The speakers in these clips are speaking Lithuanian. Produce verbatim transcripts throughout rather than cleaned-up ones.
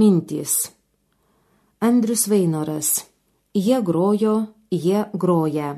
Mintys. Andrius Vainoras. Jie grojo, jie groja.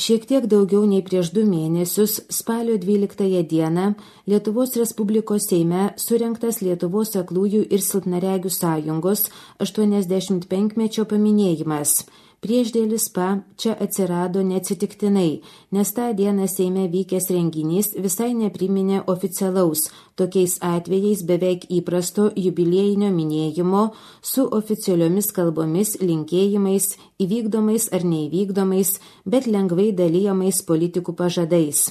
Šiek tiek daugiau nei prieš du mėnesius, spalio dvyliktąją dieną, Lietuvos Respublikos Seime surengtas Lietuvos aklųjų ir silpnaregių sąjungos aštuoniasdešimt penkmečio paminėjimas. Priešdėlis pa čia atsirado neatsitiktinai, nes tą dieną Seime vykęs renginys visai nepriminė oficialaus, tokiais atvejais beveik įprasto jubiliejinio minėjimo su oficialiomis kalbomis, linkėjimais, įvykdomais ar neįvykdomais, bet lengvai dalyjamais politikų pažadais.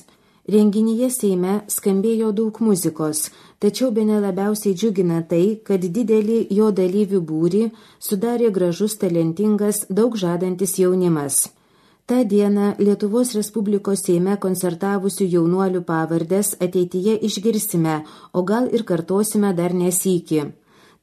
Renginyje Seime skambėjo daug muzikos, tačiau bene labiausiai džiugina tai, kad didelį jo dalyvių būrį sudarė gražus, talentingas, daug žadantis jaunimas. Ta diena Lietuvos Respublikos Seime koncertavusių jaunuolių pavardės ateityje išgirsime, o gal ir kartosime dar nesykį.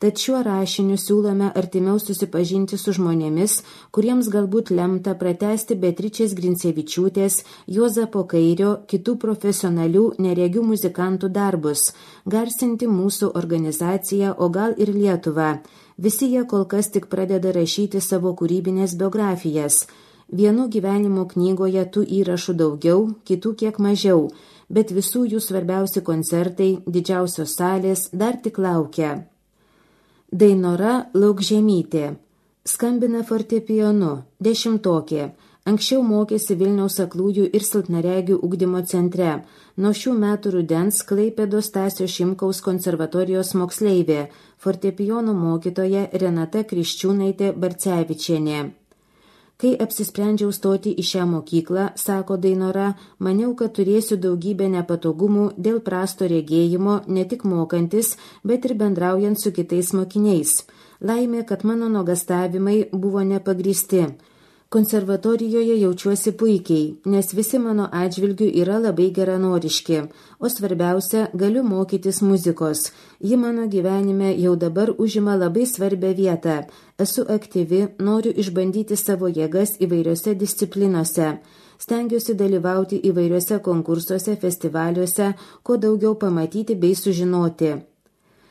Tad šiuo rašiniu siūlome artimiau susipažinti su žmonėmis, kuriems galbūt lemta pratęsti Beatričės Grincevičiūtės, Juozapo Kairio, kitų profesionalių neregių muzikantų darbus, garsinti mūsų organizaciją, o gal ir Lietuvą. Visi jie kol kas tik pradeda rašyti savo kūrybinės biografijas. Vienų gyvenimo knygoje tų įrašų daugiau, kitų kiek mažiau, bet visų jų svarbiausi koncertai, didžiausios salės dar tik laukia. Dainora Laukžemytė. Skambina fortepijonu, dešimtokė. Anksčiau mokėsi Vilniaus aklųjų ir silpnaregių ugdymo centre. Nuo šių metų rudens Klaipėdos Stasio Šimkaus konservatorijos moksleivė, fortepijono mokytoja Renata Kriščiūnaitė Barcevičienė. Kai apsisprendžiau stoti į šią mokyklą, sako Dainora, maniau, kad turėsiu daugybę nepatogumų dėl prasto regėjimo, ne tik mokantis, bet ir bendraujant su kitais mokiniais. Laimė, kad mano nuogastavimai buvo nepagristi. Konservatorijoje jaučiuosi puikiai, nes visi mano atžvilgių yra labai geranoriški, o svarbiausia, galiu mokytis muzikos. Ji mano gyvenime jau dabar užima labai svarbią vietą. Esu aktyvi, noriu išbandyti savo jėgas įvairiose disciplinose. Stengiuosi dalyvauti įvairiuose konkursuose, festivaliuose, kuo daugiau pamatyti bei sužinoti.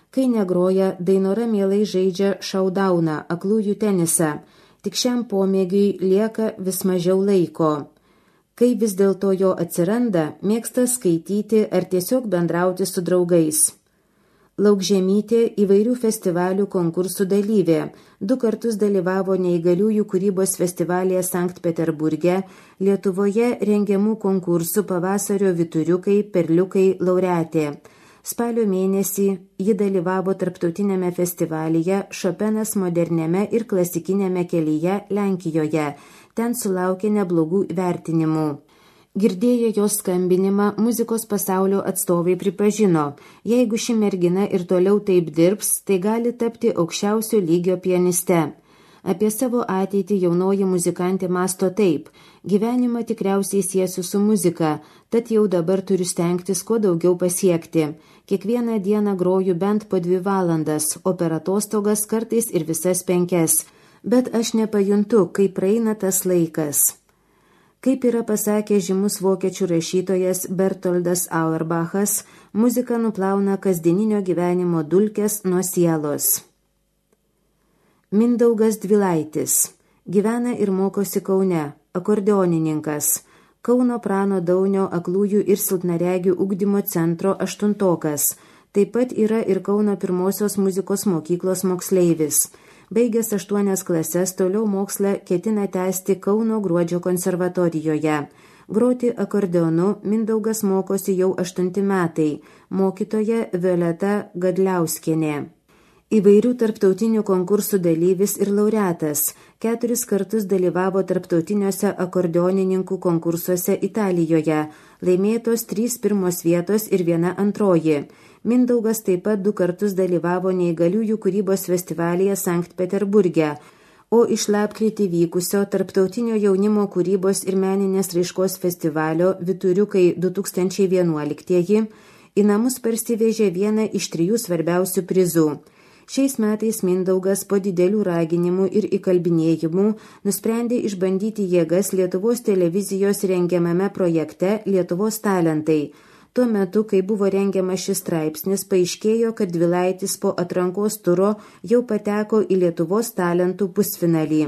Kai negroja, Dainora mielai žaidžia šaudauną, aklųjų tenisą. Tik šiam pomėgiui lieka vis mažiau laiko. Kai vis dėlto jo atsiranda, mėgsta skaityti ar tiesiog bendrauti su draugais. Laukžemytė įvairių festivalių konkursų dalyvė. Du kartus dalyvavo neįgaliųjų kūrybos festivalyje Sankt Peterburge, Lietuvoje rengiamų konkursų Pavasario vyturiukai, perliukai laureatė. Spalio mėnesį ji dalyvavo tarptautinėme festivalyje Šopenas moderniame ir klasikinėme kelyje Lenkijoje. Ten sulaukė neblogų vertinimų. Girdėję jos skambinimą, muzikos pasaulio atstovai pripažino, jeigu ši mergina ir toliau taip dirbs, tai gali tapti aukščiausio lygio pianiste. Apie savo ateitį jaunoji muzikantė masto taip. Gyvenimą tikriausiai siesiu su muzika, tad jau dabar turiu stengtis kuo daugiau pasiekti. Kiekvieną dieną groju bent po dvi valandas, o per atostogas kartais ir visas penkias. Bet aš nepajuntu, kaip praeina tas laikas. Kaip yra pasakęs žymus vokiečių rašytojas Bertoldas Auerbachas, muzika nuplauna kasdieninio gyvenimo dulkes nuo sielos. Mindaugas Dvilaitis. Gyvena ir mokosi Kaune, akordeonininkas. Kauno Prano Daunio aklųjų ir silpnaregių ugdymo centro aštuntokas. Taip pat yra ir Kauno pirmosios muzikos mokyklos moksleivis. Baigęs aštuonias klases, toliau mokslą ketina tęsti Kauno Gruodžio konservatorijoje. Groti akordeonu Mindaugas mokosi jau aštunti metai. Mokytoja Violeta Gadliauskienė. Įvairių tarptautinių konkursų dalyvis ir laureatas. Keturis kartus dalyvavo tarptautiniuose akordeonininkų konkursuose Italijoje. Laimėtos trys pirmos vietos ir viena antroji. Mindaugas taip pat du kartus dalyvavo neįgaliųjų kūrybos festivalyje Sankt Peterburge, o iš lapkritį vykusio tarptautinio jaunimo kūrybos ir meninės raiškos festivalio Vyturiukai du tūkstančiai vienuoliktieji į namus parsivežė vieną iš trijų svarbiausių prizų. Šiais metais Mindaugas po didelių raginimų ir įkalbinėjimų nusprendė išbandyti jėgas Lietuvos televizijos rengiamame projekte Lietuvos talentai. Tuo metu, kai buvo rengiamas šis straipsnis, paaiškėjo, kad Dvilaitis po atrankos turo jau pateko į Lietuvos talentų pusfinalį.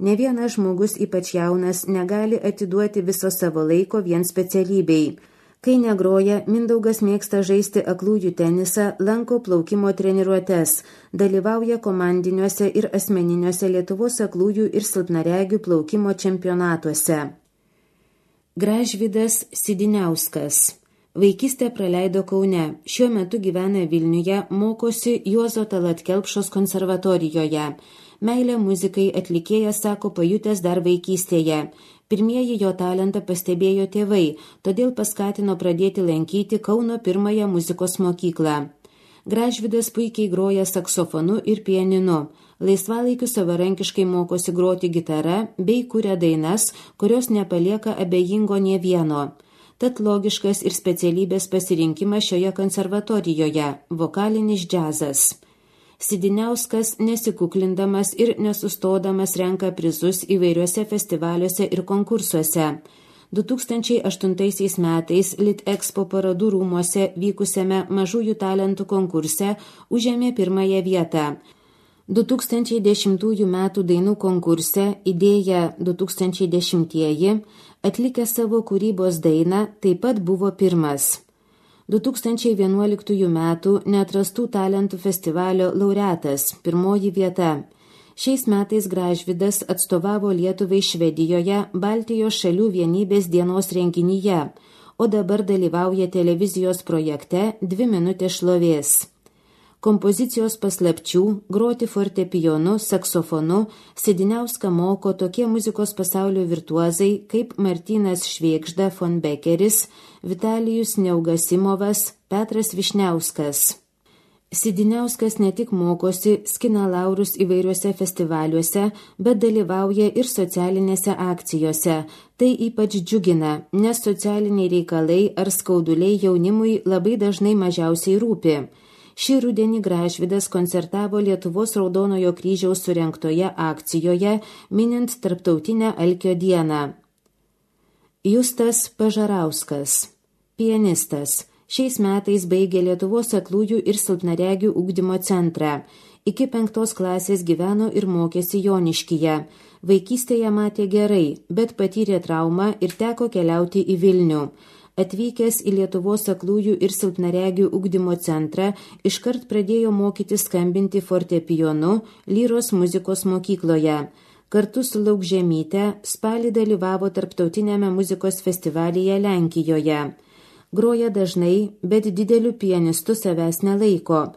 Ne vienas žmogus, ypač jaunas, negali atiduoti viso savo laiko vien specialybei. Kai negroja, Mindaugas mėgsta žaisti aklųjų tenisą, lanko plaukimo treniruotes, dalyvauja komandiniuose ir asmeniniuose Lietuvos aklųjų ir silpnaregių plaukimo čempionatuose. Gražvydas Sidiniauskas. Vaikystę praleido Kaune, šiuo metu gyvena Vilniuje, mokosi Juozo Tallat Kelpšos konservatorijoje. Meilę muzikai atlikėjas sako pajutęs dar vaikystėje. Pirmieji jo talentą pastebėjo tėvai, todėl paskatino pradėti lankyti Kauno pirmąją muzikos mokyklą. Gražvydas puikiai groja saksofonu ir pianinu. Laisvalaikiu savarankiškai mokosi groti gitarą bei kuria dainas, kurios nepalieka abejingo nė vieno. Tad logiškas ir specialybės pasirinkimas šioje konservatorijoje – vokalinis džiazas. Sidiniauskas nesikuklindamas ir nesustodamas renka prizus įvairiuose festivaliuose ir konkursuose. du tūkstančiai aštuntaisiais metais Litexpo parodų rūmuose vykusiame mažųjų talentų konkurse užėmė pirmąją vietą. du tūkstančiai dešimtųjų metų dainų konkurse Idėja du tūkstančiai dešimtieji atlikę savo kūrybos dainą taip pat buvo pirmas. du tūkstančiai vienuoliktųjų metų Neatrastų talentų festivalio laureatas, pirmoji vieta. Šiais metais Gražvydas atstovavo Lietuvai Švedijoje Baltijos šalių vienybės dienos renginyje, o dabar dalyvauja televizijos projekte Dvi minutės šlovės. Kompozicijos paslapčių, groti fortepijonu, saksofonu, Sidiniauską moko tokie muzikos pasaulio virtuozai kaip Martynas Švėgžda von Bekeris, Vitalijus Neugasimovas, Petras Višniauskas. Sidiniauskas ne tik mokosi, skina laurus įvairiuose festivaliuose, bet dalyvauja ir socialinėse akcijose. Tai ypač džiugina, nes socialiniai reikalai ar skauduliai jaunimui labai dažnai mažiausiai rūpi. Šį rudenį Gražvydas koncertavo Lietuvos Raudonojo kryžiaus surengtoje akcijoje, minint Tarptautinę Alkio dieną. Justas Pažarauskas, pianistas, šiais metais baigė Lietuvos aklųjų ir silpnaregių ugdymo centrą. Iki penktos klasės gyveno ir mokėsi Joniškyje. Vaikystėje matė gerai, bet patyrė traumą ir teko keliauti į Vilnių. Atvykęs į Lietuvos aklųjų ir silpnaregių ugdymo centrą, iškart pradėjo mokyti skambinti fortepijonu Lyros muzikos mokykloje. Kartu su Laukžemyte spalį dalyvavo tarptautinėme muzikos festivalyje Lenkijoje. Groja dažnai, bet dideliu pianistu savęs nelaiko.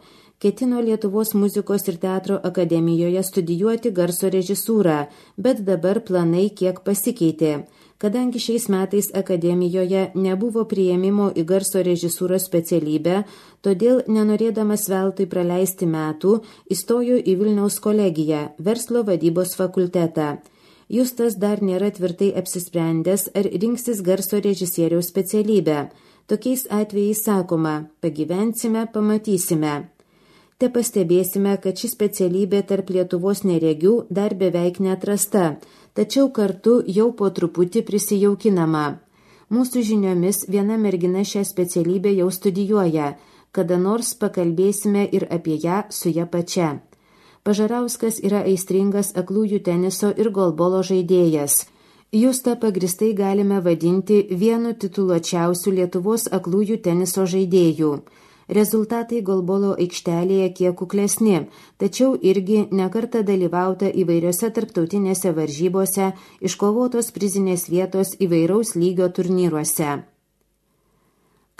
Ketino Lietuvos muzikos ir teatro akademijoje studijuoti garso režisūrą, bet dabar planai kiek pasikeitė. Kadangi šiais metais akademijoje nebuvo priėmimo į garso režisūros specialybę, todėl, nenorėdamas veltui praleisti metų, įstojo į Vilniaus kolegiją, verslo vadybos fakultetą. Justas dar nėra tvirtai apsisprendęs, ar rinksis garso režisieriaus specialybę. Tokiais atvejais sakoma, pagyvensime, pamatysime. Te pastebėsime, kad ši specialybė tarp Lietuvos neregių dar beveik neatrasta, tačiau kartu jau po truputį prisijaukinama. Mūsų žiniomis viena mergina šią specialybę jau studijuoja, kada nors pakalbėsime ir apie ją su ja pačia. Pažarauskas yra aistringas aklųjų teniso ir golbolo žaidėjas. Justą pagristai galime vadinti vienu tituluočiausių Lietuvos aklųjų teniso žaidėjų. Rezultatai golbolo aikštelėje kiek kuklesni, tačiau irgi nekartą dalyvauta įvairiose tarptautinėse varžybose, iškovotos prizinės vietos įvairaus lygio turnyruose.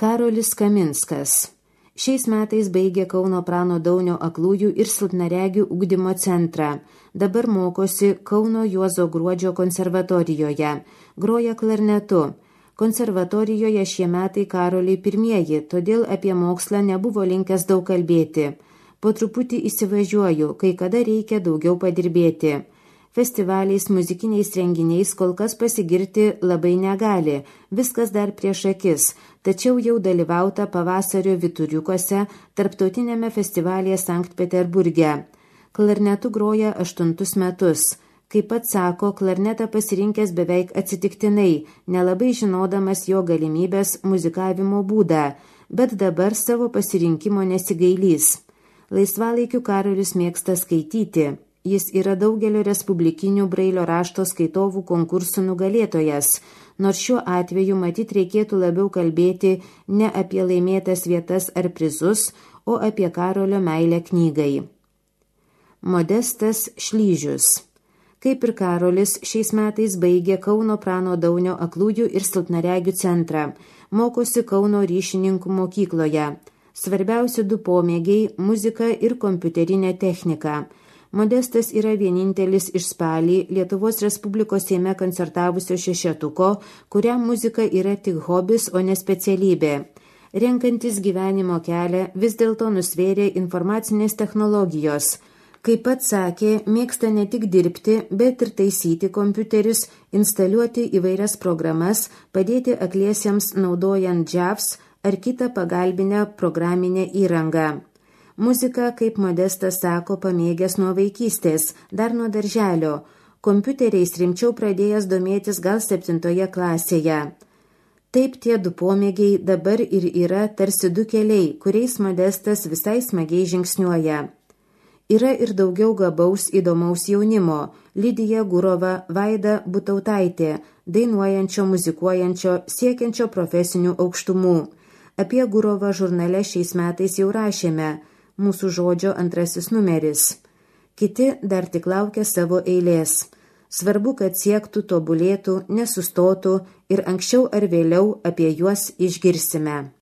Karolis Kaminskas. Šiais metais baigė Kauno Prano Daunio aklųjų ir silpnaregių ugdymo centrą. Dabar mokosi Kauno Juozo Gruodžio konservatorijoje. Groja klarnetu. Konservatorijoje šie metai Karoliai pirmieji, todėl apie mokslą nebuvo linkęs daug kalbėti. Po truputį įsivažiuoju, kai kada reikia daugiau padirbėti. Festivaliais, muzikiniais renginiais kol kas pasigirti labai negali, viskas dar prieš akis, tačiau jau dalyvauta pavasario Vituriukuose, tarptautinėme festivalyje Sankt Peterburge. Klarnetu groja aštuntus metus. Kaip pats sako, klarnetą pasirinkęs beveik atsitiktinai, nelabai žinodamas jo galimybės muzikavimo būdą, bet dabar savo pasirinkimo nesigailys. Laisvalaikiu Karolis mėgsta skaityti. Jis yra daugelio respublikinių brailio rašto skaitovų konkursų nugalėtojas, nors šiuo atveju matyt reikėtų labiau kalbėti ne apie laimėtas vietas ar prizus, o apie Karolio meilę knygai. Modestas Šlyžius. Kaip ir Karolis, šiais metais baigė Kauno Prano Daunio aklųjų ir silpnaregių centrą, mokosi Kauno ryšininkų mokykloje. Svarbiausi du pomėgiai – muzika ir kompiuterinė technika. Modestas yra vienintelis iš spalį Lietuvos Respublikos Seime koncertavusio šešetuko, kuriam muzika yra tik hobis, o ne specialybė. Renkantis gyvenimo kelią vis dėlto nusvėrė informacinės technologijos. Kaip pats sakė, mėgsta ne tik dirbti, bet ir taisyti kompiuterius, instaliuoti įvairias programas, padėti akliesiems naudojant džiavs ar kitą pagalbinę programinę įrangą. Muzika, kaip Modestas sako, pamėgęs nuo vaikystės, dar nuo darželio. Kompiuteriais rimčiau pradėjęs domėtis gal septintoje klasėje. Taip tie du pomėgiai dabar ir yra tarsi du keliai, kuriais Modestas visai smagiai žingsniuoja. Yra ir daugiau gabaus įdomaus jaunimo – Lidija Gurova, Vaida Butautaitė, dainuojančio, muzikuojančio, siekiančio profesinių aukštumų. Apie Gurovą žurnale šiais metais jau rašėme – Mūsų žodžio antrasis numeris. Kiti dar tik laukia savo eilės. Svarbu, kad siektų, tobulėtų, nesustotų ir anksčiau ar vėliau apie juos išgirsime.